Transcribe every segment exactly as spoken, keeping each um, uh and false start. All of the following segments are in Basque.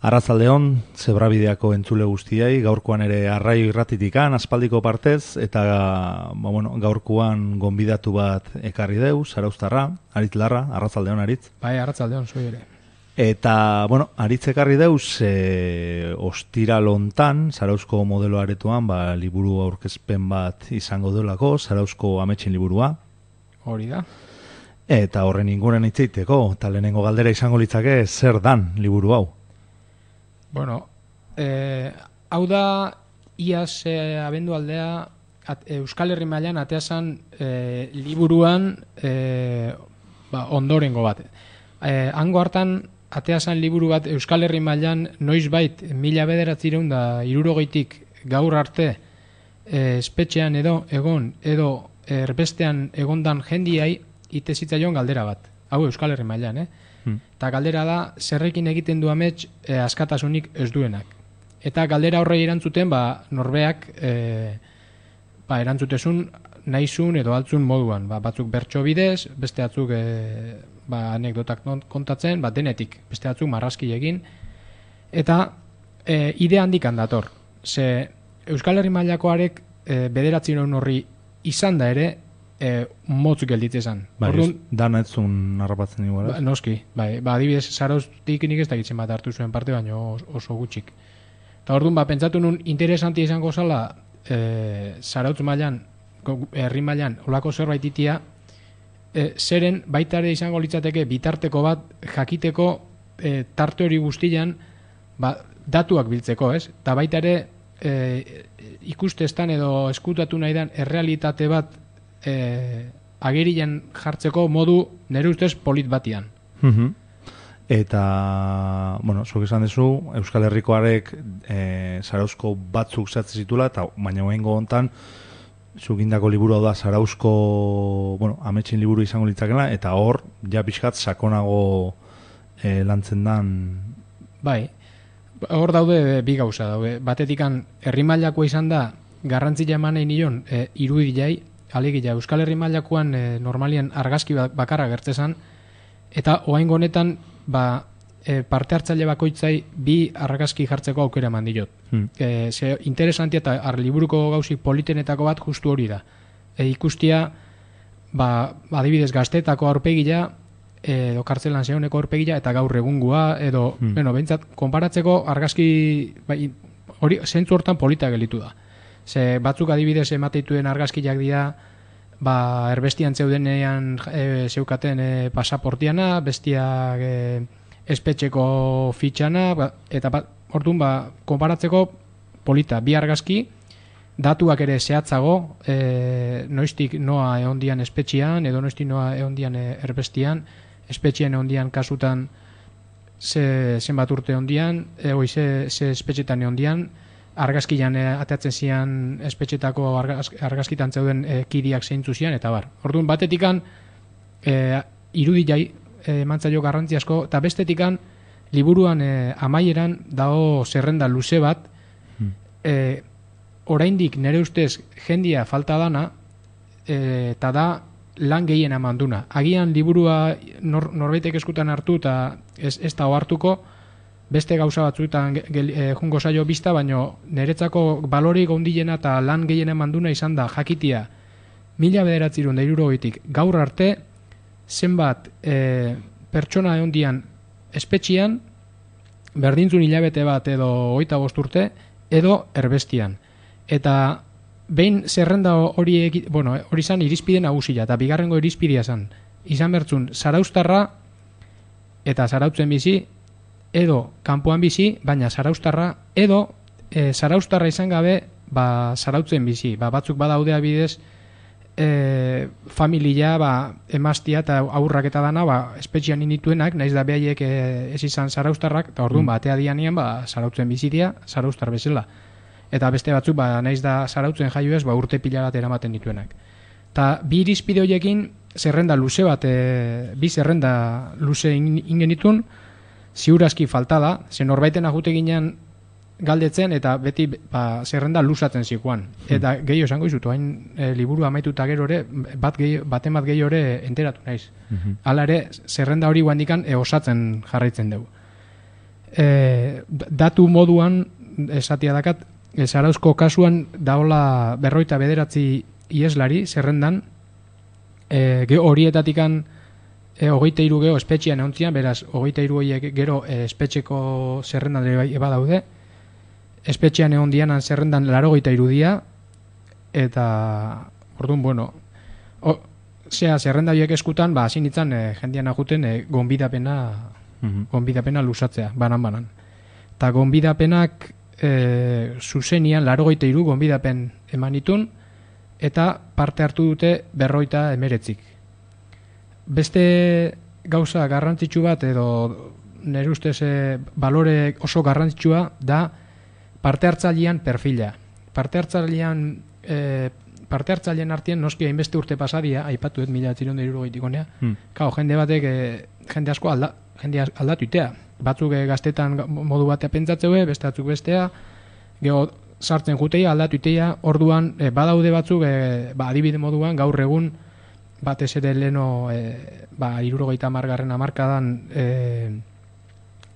Arratzaldeon, Zebrabideako entzule guztiei, gaurkoan ere arraio irratitikan, aspaldiko partez, eta ba, bueno, gaurkoan gonbidatu bat ekarri deu, Zarauztarra, Aritz Larra, arratzaldeon Aritz. Bai, arratzaldeon, zoi ere. Eta, bueno, Aritz ekarri deuz, e, ostiral hontan, Zarauzko modelo aretoan, ba, liburu aurkezpen bat izango delako, Zarauzko ametxin liburua. Hori da. Eta horren inguren itzeiteko, eta lehenengo galdera izango litzake, zer dan liburu hau? Bueno, eh, hau da, iaz eh, abendu aldea, at, Euskal Herri mailan ateazan eh, liburuan eh, ba, ondorengo bat. Eh, hango hartan, ateazan liburu bat Euskal Herri mailan noizbait mila bederatzireun da irurogeitik gaur arte eh, espetxean edo egon edo erbestean egondan jendiai ite zitzaion galdera bat. Hau Euskal Herri mailan, eh? Eta galdera da, zerrekin egiten du amets e, askatasunik ez duenak. Eta galdera horrei erantzuten, ba, norbeak e, ba, erantzutezun nahizun edo altzun moduan. Ba, batzuk bertso bidez, beste batzuk e, ba, anekdotak kontatzen, ba, denetik, beste batzuk marrazki egin. Eta e, ide handikan dator. Ze Euskal Herri mailakoarek e, bederatzi non horri izan da ere, E, motz gelditzezan. Bai, Orduan, dana etzun narrapatzen igual. Ba, noski, bai, ba, adibidez, Zarauztik nik ez dakitzen bat hartu zuen parte, baino oso gutxik. Eta orduan, ba, pentsatu nun interesantia izango zala, e, Zarautz mailan, herri mailan, olako zerbait itia, e, zeren baita ere izango litzateke bitarteko bat jakiteko e, tarte hori guztian, ba, datuak biltzeko, ez? Eta baita ere e, ikustestan edo eskutatu nahi den errealitate bat E, agerian jartzeko modu nire ustez polit batian. Uh-huh. Eta, bueno, zuk esan dezu, Euskal Herrikoarek e, Zarauzko batzuk zehatzen zitula, eta baina oengo hontan, zuk indako liburu da Zarauzko, bueno, ametxin liburu izango litzakela, eta hor, ja pixkat sakonago e, lantzen dan. Bai, hor daude bi gauza daude. Batetikan, herri mailakoa izan da, garrantzia eman nahi nion, e, irudilai, alegia, Euskal Herri mailakoan e, normalian argazki bakarra gertzezan, eta oraingo honetan ba, e, parte hartzaile bakoitzai bi argazki jartzeko aukera eman diot. Hmm. E, ze interesantia eta liburuko gauzik politenetako bat justu hori da. E, ikustia, ba, adibidez gaztetako aurpegia, edo kartzelan zehoneko aurpegia, eta gaur egungua, edo, hmm. bueno, behintzat, konparatzeko argazki, bai, hori, zentzu hortan polita gelitu da. Ze batzuk adibidez emateituen argazkiak dira, ba, erbestian zeudenean e, zeukaten e, pasaportiana, bestiak e, espetxeko fitxana, ba, eta ba, orduan ba, konparatzeko polita, bi argazki, datuak ere zehatzago, e, noiztik noa egondian espetxian, edo noiztik noa egondian e, erbestian, espetxian egondian kasutan ze, zenbat urte egondian, e, oi, ze, ze espetxetan egondian, argazkian e, ateatzen zian espetxetako argaz, argazkitan zeuden e, kidiak zeintzu zian, eta bar. Orduan, batetikan e, irudilai e, mantzaio garrantzi asko, eta bestetikan liburuan e, amaieran dago zerrenda luze bat, hmm. e, oraindik nire ustez jendia falta dana, e, eta da lan gehien amanduna. Agian liburua nor, norbaitek eskutan hartu, eta ez, ez da hartuko, beste gauza batzuetan e, jungo zaio bizta, baino niretzako balorik ondilena eta lan gehiena manduna izan da jakitia mila bederatzirun da irurogeitik gaur arte zenbat e, pertsona egondian espetxian, berdintzun hilabete bat edo hogeita bost urte, edo erbestian. Eta behin zerrenda hori, bueno, hori zan irizpide nagusia, eta bigarrengo irizpidea zan. Izan bertzun, Zarauztarra eta Zarautzen bizi, edo kanpoan bizi, baina Zarauztarra, edo e, Zarauztarra izan gabe, ba, Zarautzen bizi. Ba, batzuk badaude bidez, e, familia, ba, emaztia eta aurrak eta dana, ba, espetxian inituenak, naiz da behaiek e, ez izan Zarauztarrak, eta orduan, mm. ba, atea dianean, ba, Zarautzen bizitia, Zarauztar bezala. Eta beste batzuk, ba, naiz da Zarautzen jaio ez, ba, urte pila bat eramaten dituenak. Eta bi irizpide horiekin, zerrenda luze bat, e, bi zerrenda luze ingenitun, ziurazki falta da, ze norbaiten ajute ginen galdetzen, eta beti ba, zerrenda luzatzen zikoan. Eta hmm. gehiago esango izut, hain e, liburu amaituta gero ere, bat gehi, baten bat gehiago ere enteratu naiz. Hmm. Hala ere, zerrenda hori guandikan e, osatzen jarraitzen dugu. e, datu moduan esatia dakat, Zarauzko kasuan daola berroita bederatzi ieslari zerrendan, e, ge horietatikan e, hogeita hiru geho espetxean egontzian, beraz, hogeita hiru horiek gero e, espetxeko zerrendan ere eba daude, espetxean egon dianan zerrendan larogeita hiru dia, eta, orduan, bueno, o, zea, zerrenda horiek eskutan, ba, hasi nintzen e, jendean ajuten e, gonbidapena, mm-hmm. gonbidapena lusatzea, banan-banan. Eta gonbidapenak e, zuzenian larogeita hiru gonbidapen emanitun, eta parte hartu dute berroita emeretzik. Beste gauza garrantzitsu bat, edo nire ustez e, balore oso garrantzitsua da parte hartzailean perfila. Parte hartzailean e, parte hartzailean artean noski hainbeste urte pasadia, aipatu ez mila txironde irurogeitik honea, hmm. Kao, jende batek, e, jende asko alda, jende aldatuitea. Batzuk e, gaztetan modu batea pentsatzeu, beste batzuk bestea, geho sartzen juteia, aldatuitea, orduan e, badaude batzuk, e, ba, adibide moduan, gaur egun, batez ere leno, e, ba, irurogeita margarren amarkadan, e,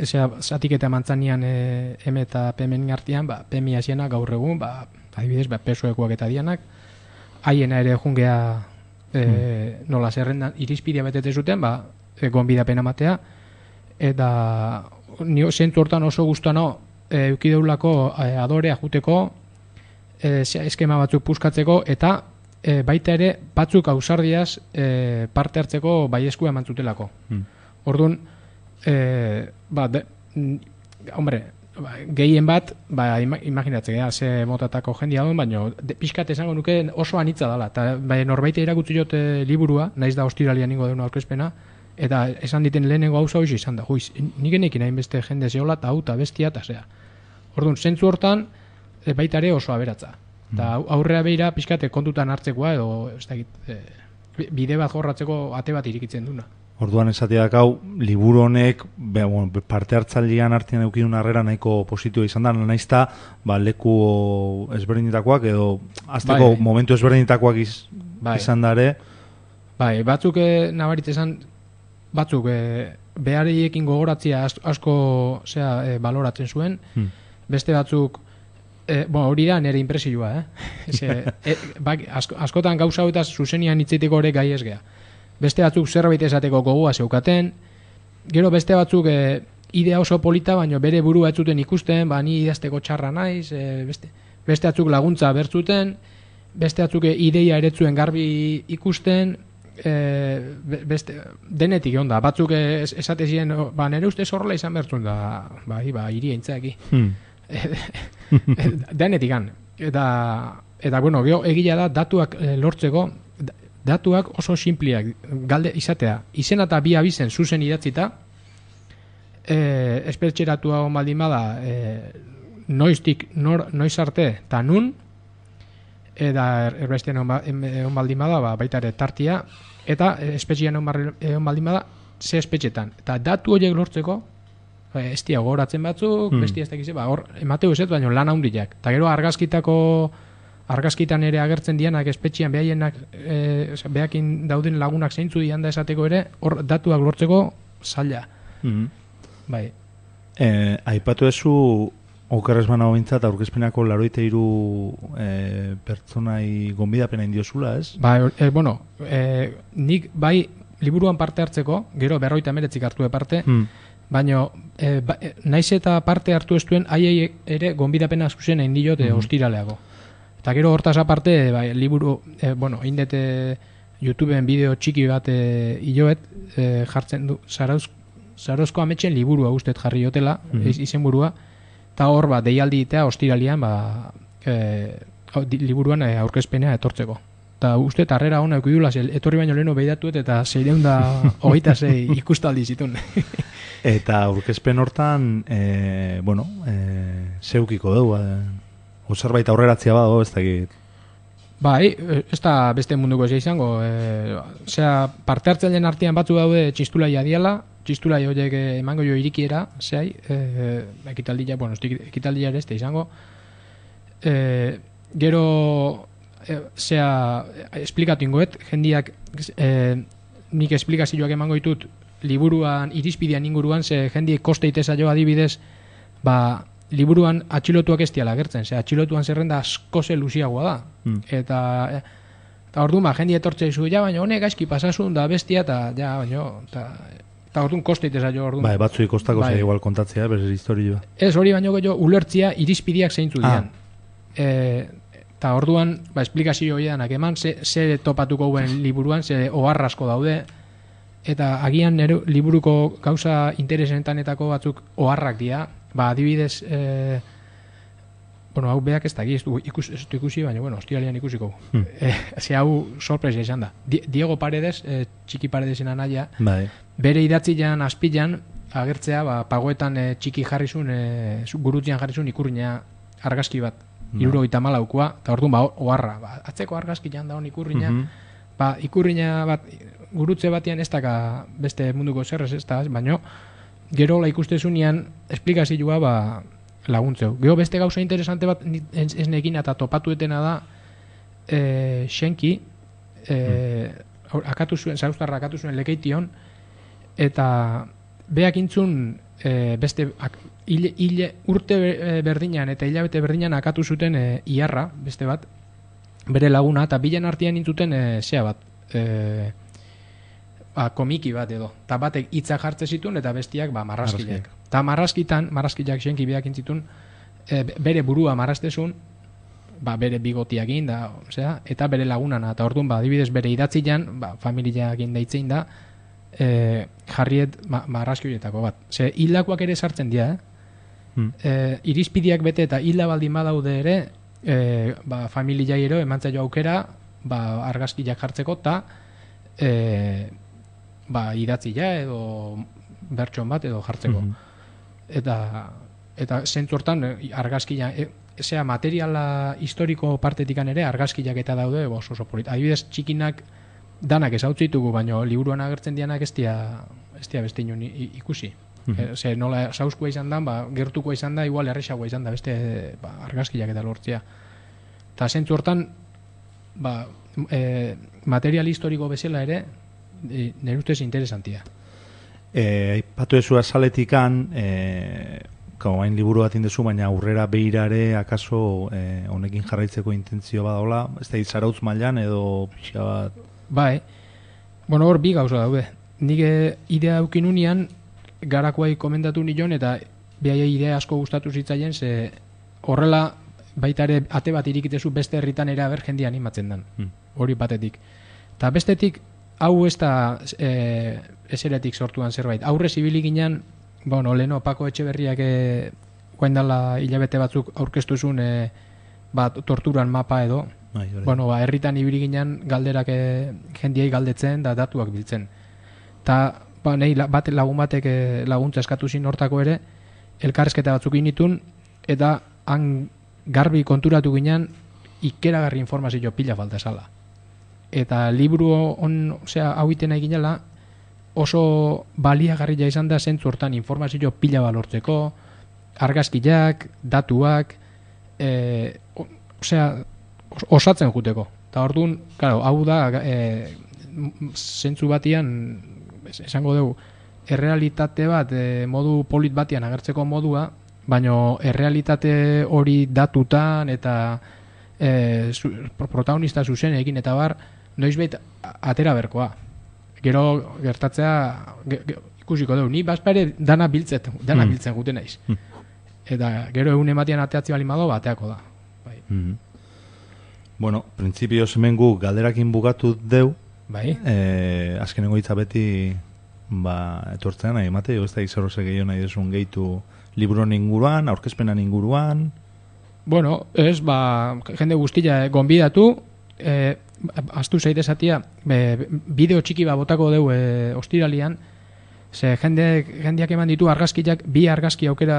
ezea, zatik eta mantzanian e, M eta P M artean, ba, P M asiena gaur egun, ba, adibidez, ba, pesoekoak eta dianak, haiena ere jungea e, hmm. nola zerrendan irizpidea betete zuten, ba, e, gonbidapena matea, eta nio zentzu hortan oso guztano e, eukideulako e, adorea juteko, e, eskema batzuk puskatzeko, eta e, baita ere batzuk ausardiaz e, parte hartzeko baieskua eman zutelako. Hmm. Orduan, e, ba, de, hombre, ba, gehien bat, ba, imaginatzen, ja, ze motatako jendia duen, baina pixkat esango nuke oso anitza dela. Eta bai, norbaite irakutsi jote liburua, naiz da ostiralian ningo deuna aurkezpena, eta esan diten lehenengo hauza hoiz izan da. Huiz, nik enekin hain beste jende zehola, eta hau, eta bestia, eta zea. Orduan, zentzu hortan, e, baita ere oso aberatza. Eta aurrea behira pixkate kontutan hartzekoa, edo ez da, e, bide bat jorratzeko ate bat irikitzen duna. Orduan esateak hau, liburu honek be, bueno, parte hartzailean artean eukidun harrera nahiko positiua izan da, naizta ba, leku ezberdinetakoak edo azteko bai, momentu ezberdinetakoak iz, bai. izan dare. Bai, batzuk e, nabarit esan, batzuk e, behariekin gogoratzia asko zea, e, baloratzen zuen, hmm. beste batzuk E, bueno, hori da nire impresioa, eh? Eze, e, bak, asko, askotan gauza eta zuzenian hitzeteko ere gai ez gea. Beste batzuk zerbait esateko gogoa zeukaten, gero beste batzuk e, idea oso polita, baina bere burua ez zuten ikusten, ba, ni idazteko txarra naiz, e, beste, beste batzuk laguntza bertzuten, beste batzuk e, ideia eretzuen garbi ikusten, e, beste, denetik egon da, batzuk e, esate ziren, ba, nire ustez horrela izan bertzun da, bai, ba, iria intzaki. Hmm. Denetikan eta, eta bueno, geho egia da datuak e, lortzeko datuak oso simpliak galde izatea, izena eta bi abizen zuzen idatzita e, espertxeratua hon baldin bada e, noiztik nor, noiz arte eta nun eta erbestean hon baldin bada ba, baita ere tartia eta espetxean hon baldin bada ze espetxetan, eta datu horiek lortzeko ez dia gogoratzen batzuk, hmm. bestia ez dakize, ba, hor, emateu ez, baina lan handiak. Eta gero argazkitako, argazkitan ere agertzen dianak espetxian behaienak, e, behakin dauden lagunak zeintzu dian da esateko ere, hor datuak lortzeko zaila. Hmm. Bai. E, aipatu ezu, okerrez bana hobintzat, aurkezpenako laroite iru e, pertsonai gonbidapena indiozula, ez? Ba, e, bueno, e, nik bai liburuan parte hartzeko, gero berroita emeretzik hartu parte, hmm. baina e, ba, e, naiz eta parte hartu ez duen haiei ere gonbidapena zuzen egin diot e, ostiraleago. Eta gero hortaz aparte, bai, liburu, e, bueno, indete YouTubeen bideo txiki bat e, hiloet e, jartzen du, Zarauz, Zarauzko ametxen liburua ustet jarri jotela, mm-hmm. izenburua, eta hor ba, deialdi itea ostiralian ba, e, liburuan e, aurkezpenea etortzeko. Eta uste, harrera hona eukidula, etorri baino leheno behidatuet eta zeireun da hogeita zei ikustaldi zitun. Eta aurkezpen hortan, e, bueno, e, zeukiko dugu, e, zerbait aurreratzia badago, ez dakit. Bai, ez da beste munduko ez izango. E, Osea, parte hartzaileen artean batzu daude txistulaia diala, txistulai horiek emango jo irikiera, zehai, e, ekitaldia, bueno, ekitaldia ere ez da izango. E, gero... E, zea, esplikatu ingoet, jendiak e, nik esplikazioak emango ditut liburuan irizpidean inguruan, ze jendie koste iteza jo adibidez, ba, liburuan atxilotuak ez diala gertzen, ze atxilotuan zerrenda asko ze luziagoa da. Mm. Eta, eta orduan, ba, jendie etortze izu, ja, baina honek gaizki pasasun da bestia, eta, ja, baina, eta, eta orduan koste iteza jo orduan. Bai, batzui kostako bai. Ze igual kontatzea, berez historioa. Ez, hori baino jo, ulertzia irizpideak zeintzu dian. Ah. E, eta orduan, ba, esplikazio horianak eman, ze, ze topatuko guen liburuan, ze oharrasko daude, eta agian nero, liburuko gauza interesentanetako batzuk oharrak dira, ba, adibidez, e, bueno, hau beak ez da, ez du ikus, ikusi, baina, bueno, hostialian ikusiko. Hmm. E, ze hau sorpresa izan da. Diego Paredes, e, txiki Paredesen anaia, bai. Bere idatzian, azpilan, agertzea, ba, pagoetan e, txiki jarrizun, e, gurutzean jarrizun ikurriña argazki bat. Iruro eta malaukua, eta orduan, ba, oharra, ba, atzeko argazki jan da hon ikurriña, uh -huh. ba, ikurriña bat, gurutze batian ez daka beste munduko zerrez ez da, baina gero la ikustezunean esplikazioa ba, laguntzeu. Gero beste gauza interesante bat ez, ez nekin eta topatuetena da e, Xenki, e, hmm. akatu zuen, zauztarra akatu zuen lekeition, eta beak intzun e, beste ak, Ile, ile urte berdinan eta hilabete berdinan akatu zuten e, iarra, beste bat, bere laguna, eta bilen artean intzuten e, zea bat, e, ba, komiki bat edo, eta batek hitza jartze zituen eta bestiak ba, marrazkiak. Eta marrazkitan, marrazkiak Xenki beak intzitun, e, bere burua marraztezun, ba, bere bigotiakin da, osea, eta bere lagunana, eta orduan, ba, adibidez bere idatzian, ba, familiakin deitzein da, e, jarriet ma, marrazki horietako bat. Ze, hilakoak ere sartzen dira, eh? Hmm. E, irizpideak bete eta hila baldin badaude ere e, ba, familiai ero emantzaio aukera ba, argazkiak jartzeko eta e, ba, idatzia edo bertson bat edo jartzeko hmm. eta eta zentzu hortan argazkia e, zera materiala historiko partetikan ere argazkiak eta daude oso oso polit. Adibidez txikinak danak ezautzitugu, baina liburuan agertzen dianak ez dia, ez dia beste inon ikusi. Mm-hmm. Ze nola sauskua izan da, ba, gertukoa izan da, igual erresagoa izan da, beste ba, argazkiak eta lortzea. Eta zentzu hortan, ba, e, material historiko bezala ere, e, nire ustez interesantia. Aipatu ezu azaletikan, e, hain liburu bat indezu, baina aurrera behirare, akaso e, honekin jarraitzeko intentzio badaola, ez da izarautz mailan edo pixa bat? Bai, bueno, hor bi gauza daude. Nik idea eukin unian, garakoai komendatu nion eta behai idea asko gustatu zitzaien, ze horrela baita ere ate bat irikitezu beste herritan ere aber jendia animatzen den, hmm. hori batetik. Eta bestetik, hau ez da e, eseretik sortuan zerbait. Aurre zibili ginen, bueno, leheno Pako Etxeberriak e, guaindala hilabete batzuk aurkeztu zuen e, bat torturan mapa edo, Ai, bueno, ba, herritan ibili ginen galderak e, jendiai galdetzen da datuak biltzen. Ta ba, nahi bat lagun batek laguntza eskatu zin hortako ere, elkarrezketa batzuk initun, eta han garbi konturatu ginen ikeragarri informazio pila falta esala. Eta liburu on, osea, hau iten nahi ginela, oso baliagarria izan da zentzu hortan informazio pila balortzeko, argazkiak, datuak, e, osea, osatzen juteko. Eta orduan, claro, hau da, e, zentzu batian, esango dugu, errealitate bat e, modu polit batian agertzeko modua, baina errealitate hori datutan eta e, zu, protagonista zuzen egin eta bar, noizbait atera berkoa. Gero gertatzea ge, ge, ikusiko dugu, ni bazpare dana biltzet, dana mm. biltzen guten naiz. Mm. Eta gero egun ematian ateatzi bali mago, bateako da. Bai. Mm. Bueno, printzipioz hemen gu galderakin bugatu deu, bai. Eh, azkenengo hitza beti ba, etortzean nahi emate, ez da izarroze gehiago nahi desun gehitu liburon inguruan, aurkezpenan inguruan? Bueno, ez, ba, jende guztia eh, gonbidatu, eh, astu zaitezatia, eh, bideo txiki ba botako deu eh, ostiralian, ze jende, jendeak eman ditu argazkiak, bi argazki aukera,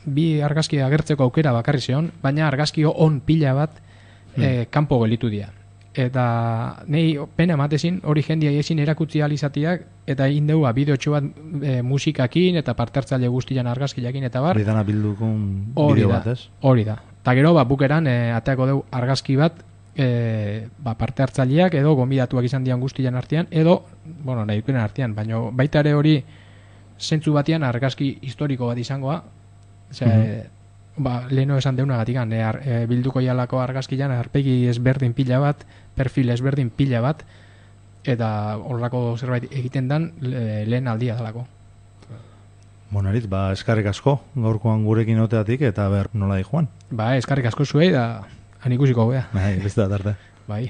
bi argazki agertzeko aukera bakarri zeon, baina argazki on pila bat hmm. eh, kanpo gelitu dira. Eta nei pena ematezin hori jendia ezin erakutsi alizatiak eta indeu bideotxo bat e, musikakin eta partertzaile guztian argazkiakin eta bar. Hori dana bildukun bideo bat, ez? Hori da. Eta gero, ba, bukeran e, ateako deu argazki bat e, ba, parte hartzaileak edo gonbidatuak izan dian guztian artean, edo, bueno, nahi dukenen artean, baina baita ere hori zentzu batean argazki historiko bat izangoa, Ose, mm-hmm. ba, leheno esan deunagatik, e, e, bilduko jalako argazkian arpegi ezberdin pila bat, perfil ezberdin pila bat, eta horrako zerbait egiten dan le, lehen aldia dalako. Bonarit, ba, eskarrik asko gaurkoan gurekin oteatik eta ber nola di joan. Ba, eskarrik asko zuei da han ikusiko gea. Bai, beste da tarte. Bai.